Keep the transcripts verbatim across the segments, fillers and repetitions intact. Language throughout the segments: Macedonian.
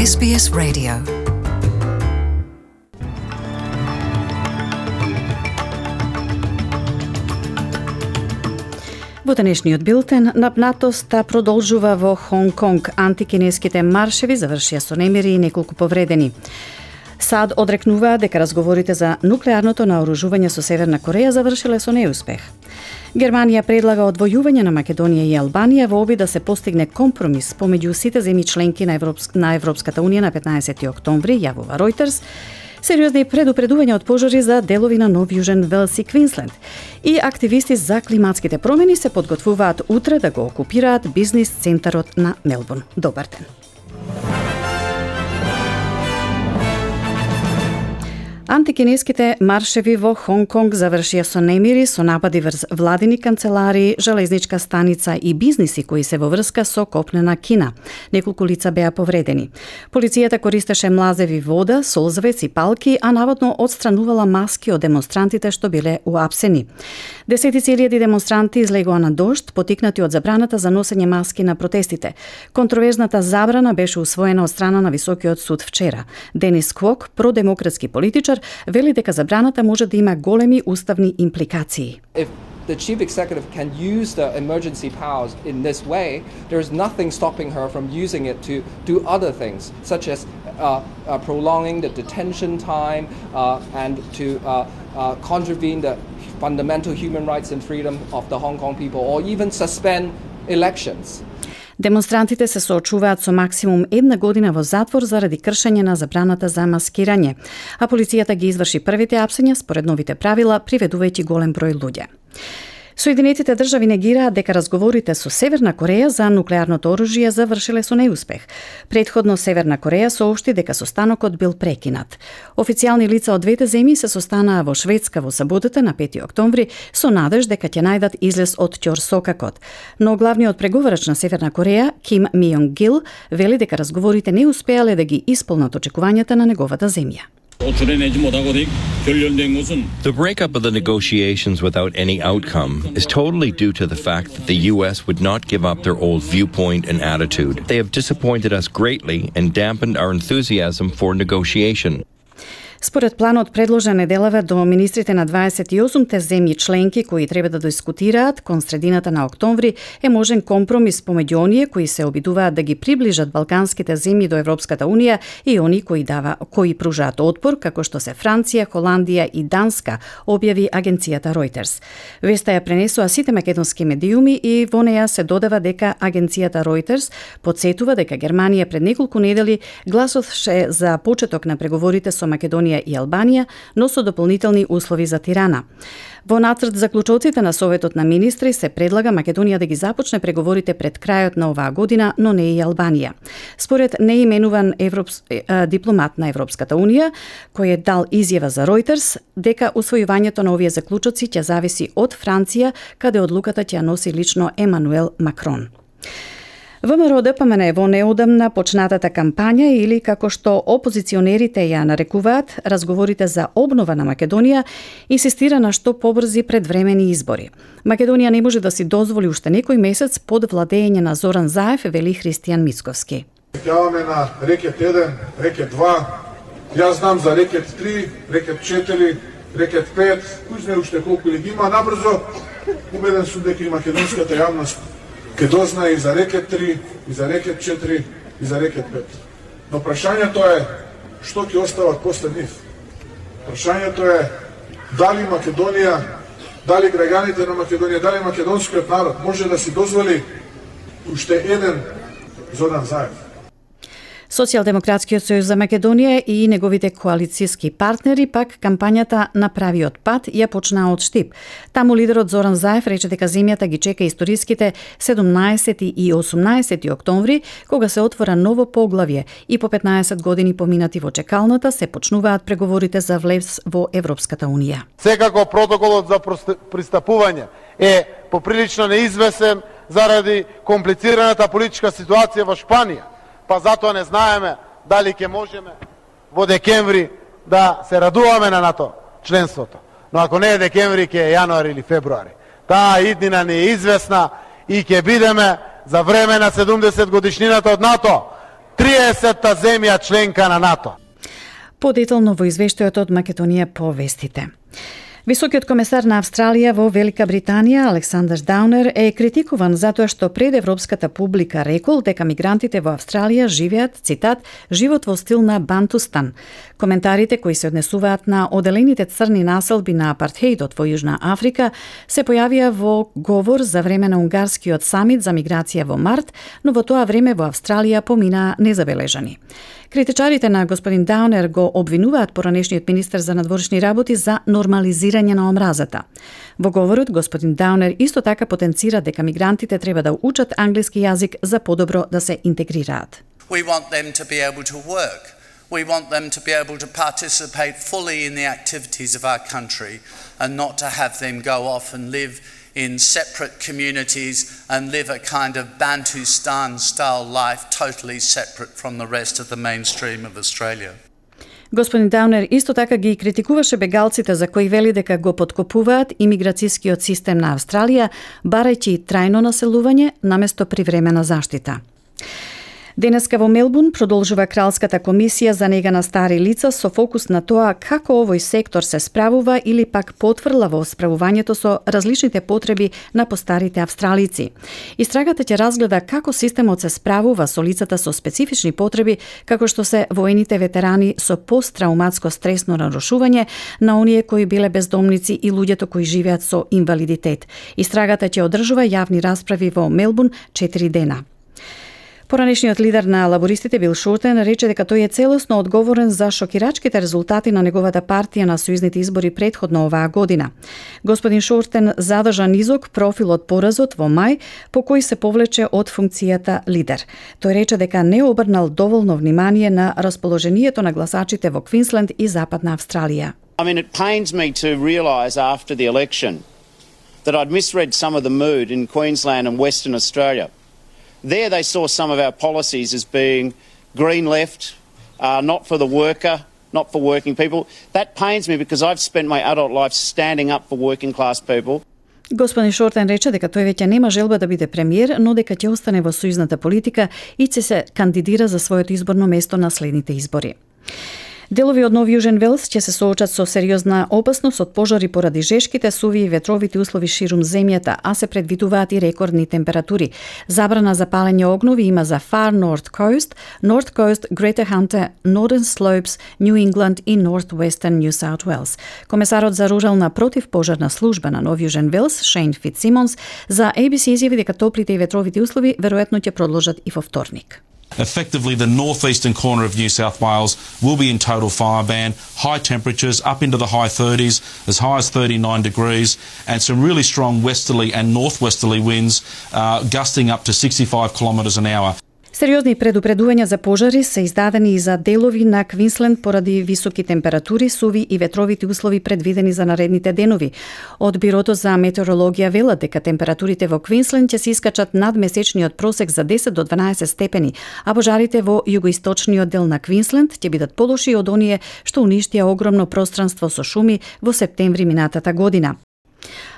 С Б С Radio. Во денешниот билтен, напнатоста продолжува во Хонг Конг. Антикинеските маршеви завршија со немири и неколку повредени. САД одрекнуваа дека разговорите за нуклеарното наоружување со Северна Кореја завршиле со неуспех. Германија предлага одвојување на Македонија и Албанија во обид да се постигне компромис помеѓу сите земји членки на, Европск... на Европската унија на петнаесети октомври, јавува Reuters. Сериозни предупредувања од пожари за делови на Нов Јужен Велс и Квинсленд. И активисти за климатските промени се подготвуваат утре да го окупираат бизнис центарот на Мелбурн. Добар ден. Антикинеските маршеви во Хонг Конг завршија со немири, со напади врз владини канцеларии, железничка станица и бизниси кои се во врска со копнена Кина. Неколку лица беа повредени. Полицијата користеше млазеви вода, солзавец и палки, а наводно отстранувала маски од демонстрантите што биле уапсени. Десетици илјади демонстранти излегоа на дожд, потикнати од забраната за носење маски на протестите. Контроверзната забрана беше усвоена од страна на Високиот суд вчера. Денис Квок, продемократски политичар, вели дека забраната може да има големи уставни импликации. If the chief executive can use the emergency powers in this way, there is nothing stopping her from using it to do other things, such as uh, uh, prolonging the detention time uh, and to uh, uh, contravene the fundamental human rights and freedom of the Hong Kong people, or even suspend elections. Демонстрантите се соочуваат со максимум една година во затвор заради кршење на забраната за маскирање, а полицијата ги изврши првите апсења според новите правила, приведувајќи голем број луѓе. Соединетите држави негираат дека разговорите со Северна Кореја за нуклеарното оружје завршиле со неуспех. Предходно Северна Кореја соопшти дека состанокот бил прекинат. Официјални лица од двете земји се состанаа во Шведска во саботата на пети октомври со надеж дека ќе најдат излез од ќорсокакот. Но главниот преговарач на Северна Кореја, Ким Мијонг Гил, вели дека разговорите не успеале да ги исполнат очекувањата на неговата земја. The breakup of the negotiations without any outcome is totally due to the fact that the U S would not give up their old viewpoint and attitude. They have disappointed us greatly and dampened our enthusiasm for negotiation. Според планот предложен неделава до министрите на дваесет и осумте земји членки кои треба да дискутираат кон средината на октомври е можен компромис помеѓу оние кои се обидуваат да ги приближат балканските земји до Европската унија и они кои дава кои пружаат отпор, како што се Франција, Холандија и Данска, објави агенцијата Reuters. Веста ја пренесоа сите македонски медиуми и во неја се додава дека агенцијата Reuters потсетува дека Германија пред неколку недели гласовше за почеток на преговорите со Македонија и Албанија, но со дополнителни услови за Тирана. Во нацрт заклучоците на Советот на министри се предлага Македонија да ги започне преговорите пред крајот на оваа година, но не и Албанија. Според неименуван европс... дипломат на Европската унија, кој е дал изјава за Reuters, дека усвојувањето на овие заклучоци ќе зависи од Франција, каде одлуката ќе носи лично Емануел Макрон. ВМРО Д П М Н во неодамна почнатата кампања или како што опозиционерите ја нарекуваат, разговорите за обнова на Македонија, инсистира на што побрзи предвремени избори. Македонија не може да си дозволи уште некој месец под владење на Зоран Заев, вели Христијан Мицковски. Јаваме на рекет еден, рекет два, јас знам за рекет три, рекет четири, рекет пет, кој знае уште колку ли ги има, набрзо убеден сум дека и македонската јавност ке дознае и за рекет три, и за рекет четири, и за рекет пет. Но прашањето е што ќе остават после нив. Прашањето е дали Македонија, дали граѓаните на Македонија, дали македонскиот народ може да си дозволи уште еден Зоран Заев. Социјалдемократскиот сојуз за Македонија и неговите коалицијски партнери пак кампањата на правиот пат ја почнаа од Штип. Таму лидерот Зоран Заев рече дека земјата ги чека историските седумнаесети и осумнаесети октомври, кога се отвора ново поглавје и по петнаесет години поминати во чекалната се почнуваат преговорите за влез во Европската унија. Секако протоколот за пристапување е поприлично неизвесен заради комплицираната политичка ситуација во Шпанија. Па затоа не знаеме дали ќе можеме во декември да се радуваме на НАТО членството. Но ако не е декември, ќе е јануари или февруари. Таа иднина не е известна и ќе бидеме за време на седумдесет годишнината од НАТО триесетта земја членка на НАТО. Подетално во извештајот од Македонија по вестите. Високиот комесар на Австралија во Велика Британија, Александар Даунер, е критикуван затоа што пред европската публика рекол дека мигрантите во Австралија живеат, цитат, живот во стил на Бантустан. Коментарите кои се однесуваат на оделените црни населби на апартхеидот во Јужна Африка се појавија во говор за време на унгарскиот самит за миграција во март, но во тоа време во Австралија поминаа незабележани. Критичарите на господин Даунер го обвинуваат поранешниот министер за надворешни работи за нормализирање на омразата. Во говорот, господин Даунер исто така потенцира дека мигрантите треба да учат англиски јазик за подобро да се интегрираат. We want them to be able to work. We want them to be able to participate fully in the activities of our country and not to have them go off and live in separate communities and live a kind of Bantustan-style life totally separate from the rest of the mainstream of Australia. Господин Даунер исто така ги критикуваше бегалците за кои вели дека го поткопуваат имиграцијскиот систем на Австралија, барајќи трајно населување наместо привремена заштита. Денеска во Мелбурн продолжува Кралската комисија за нега на стари лица со фокус на тоа како овој сектор се справува или пак потврла во справувањето со различните потреби на постарите австралици. Истрагата ќе разгледа како системот се справува со лицата со специфични потреби, како што се воените ветерани со посттрауматско стресно нарушување, на оние кои биле бездомници и луѓето кои живеат со инвалидитет. Истрагата ќе одржува јавни расправи во Мелбурн четири дена. Поранешниот лидер на лабористите Бил Шортен рече дека тој е целосно одговорен за шокирачките резултати на неговата партија на сојузните избори претходно оваа година. Господин Шортен задржа низок профил од поразот во мај, по кој се повлече од функцијата лидер. Тој рече дека не обрнал доволно внимание на расположението на гласачите во Квинсленд и Западна Австралија. I mean, it pains me to realise after the election that I'd misread some of the mood in Queensland and Western Australia. There they saw some of our policies as being green left, uh, not for the worker, not for working people. That pains me because I've spent my adult life standing up for working class people. Господин Шортен рече дека тој веќе нема желба да биде премиер, но дека ќе остане во сојузната политика и ќе се кандидира за своето изборно место на следните избори. Делови од Нов Јужен Велс ќе се соочат со сериозна опасност од пожари поради жешките, суви и ветровите услови ширум земјата, а се предвидуваат и рекордни температури. Забрана за палење огнови има за Far North Coast, North Coast, Greater Hunter, Northern Slopes, New England и Northwestern New South Wales. Комесарот за рурална противпожарна служба на Нов Јужен Велс, Шейн Фитсимонс, за A B C изјави дека топлите и ветровите услови веројатно ќе продолжат и во вторник. Effectively, the northeastern corner of New South Wales will be in total fire ban. High temperatures up into the high thirties, as high as thirty-nine degrees, and some really strong westerly and northwesterly winds uh, gusting up to sixty-five kilometres an hour. Сериозни предупредувања за пожари се издадени и за делови на Квинсленд поради високи температури, суви и ветровити услови предвидени за наредните денови. Од Бирото за метеорологија велат дека температурите во Квинсленд ќе се искачат над месечниот просек за десет до дванаесет степени, а пожарите во југоисточниот дел на Квинсленд ќе бидат полоши од оние што уништија огромно пространство со шуми во септември минатата година.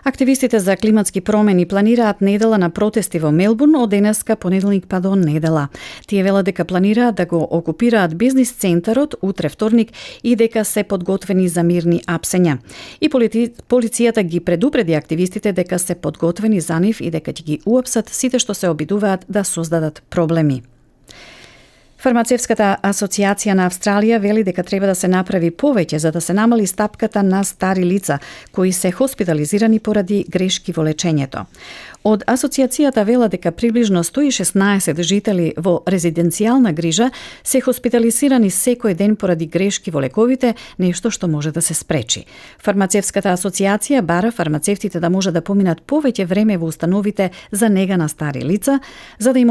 Активистите за климатски промени планираат недела на протести во Мелбурн од денеска понеделник па до недела. Тие велат дека планираат да го окупираат бизнис центарот утре вторник и дека се подготвени за мирни апсења. И полици... полицијата ги предупреди активистите дека се подготвени за нив и дека ќе ги уапсат сите што се обидуваат да создадат проблеми. Фармацевската асоциација на Австралија вели дека треба да се направи повеќе за да се намали стапката на стари лица кои се хоспитализирани поради грешки во лечењето. Од асоциацијата вела дека приближно сто и шеснаесет жители во резиденцијална грижа се хоспитализирани секој ден поради грешки во лековите, нешто што може да се спречи. Фармацевската асоциација бара фармацевтите да може да поминат повеќе време во установите за нега на стари лица, за да им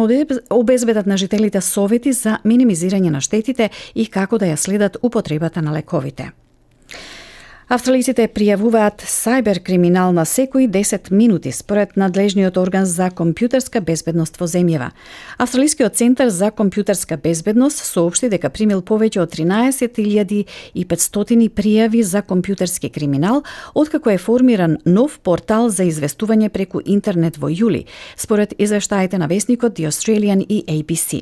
обезбедат на жителите совети за минимизирање на штетите и како да ја следат употребата на лековите. Австралиците пријавуваат сајбер криминал на секои десет минути според надлежниот орган за компјутерска безбедност во земјава. Австралискиот центар за компјутерска безбедност соопшти дека примил повеќе од тринаесет илјади и петстотини пријави за компјутерски криминал откако е формиран нов портал за известување преку интернет во јули, според извештаите на весникот The Australian и A B C.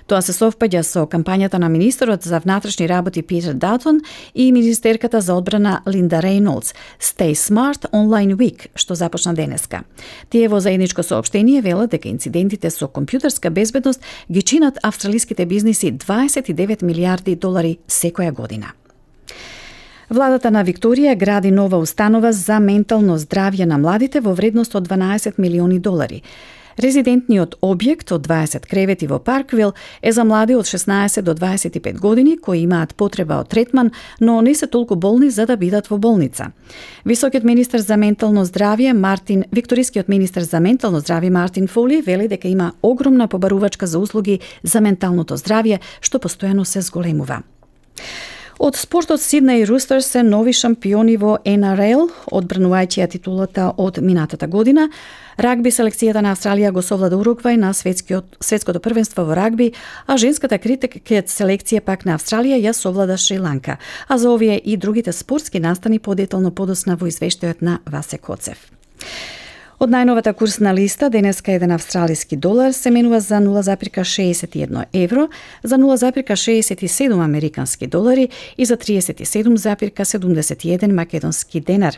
Тоа се совпаѓа со кампањата на министерот за внатрешни работи Питер Датон и министерката за одбрана Линда Рейнолдс Stay Smart Online Week, што започна денеска. Тие во заедничко соопштение велат дека инцидентите со компјутерска безбедност ги чинат австралиските бизниси дваесет и девет милијарди долари секоја година. Владата на Викторија гради нова установа за ментално здравје на младите во вредност од дванаесет милиони долари. Резидентниот објект од дваесет кревети во Парквил е за млади од шеснаесет до дваесет и пет години кои имаат потреба од третман, но не се толку болни за да бидат во болница. Високиот министер за ментално здравје Мартин, Викторискиот министер за ментално здравје Мартин Фоли вели дека има огромна побарувачка за услуги за менталното здравје што постојано се зголемува. Од спортот Сиднеј Рустерс се нови шампиони во Н Р Л, одбранувајќи ја титулата од минатата година. Рагби селекцијата на Австралија го совлада Уругвај на светскиот, светското првенство во рагби, а женската крикет селекција пак на Австралија ја совлада Шри-Ланка. А за овие и другите спортски настани подетално подосна во извештајот на Васе Коцев. Од најновата курсна листа, денеска еден австралиски долар се менува за нула зарез шеесет и едно евро, за нула зарез шеесет и седум американски долари и за триесет и седум зарез седумдесет и еден македонски денар.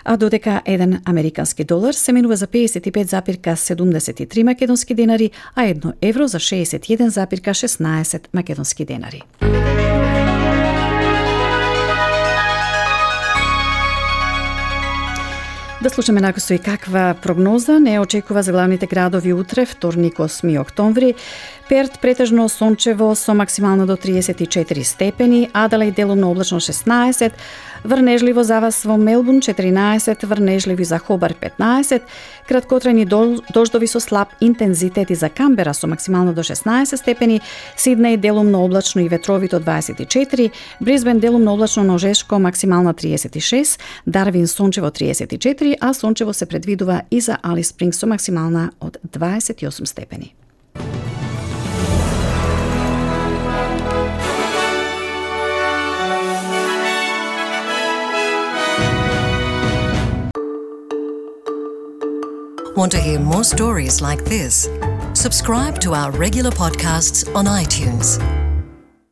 А додека еден американски долар се менува за пеесет и пет зарез седумдесет и три македонски денари, а едно евро за шеесет и еден зарез шеснаесет македонски денари. Да слушаме накусо и каква прогноза не очекува за главните градови утре, вторник осми октомври. Перт претежно сончево со максимално до триесет и четири степени, Аделаид делумно облачно шеснаесет, врнежливо за вас во Мелбурн четиринаесет, врнежливи за Хобар петнаесет, краткотрајни дождови со слаб интензитет и за Камбера со максимално до шеснаесет степени, Сиднеј делумно облачно и ветровито дваесет и четири, Брисбен делумно облачно ножешко максимално триесет и шест, Дарвин сончево триесет и четири, а сончево се предвидува и за Алис Спрингс со максимална од дваесет и осум степени. Want to hear more stories like this? Subscribe to our regular podcasts on iTunes.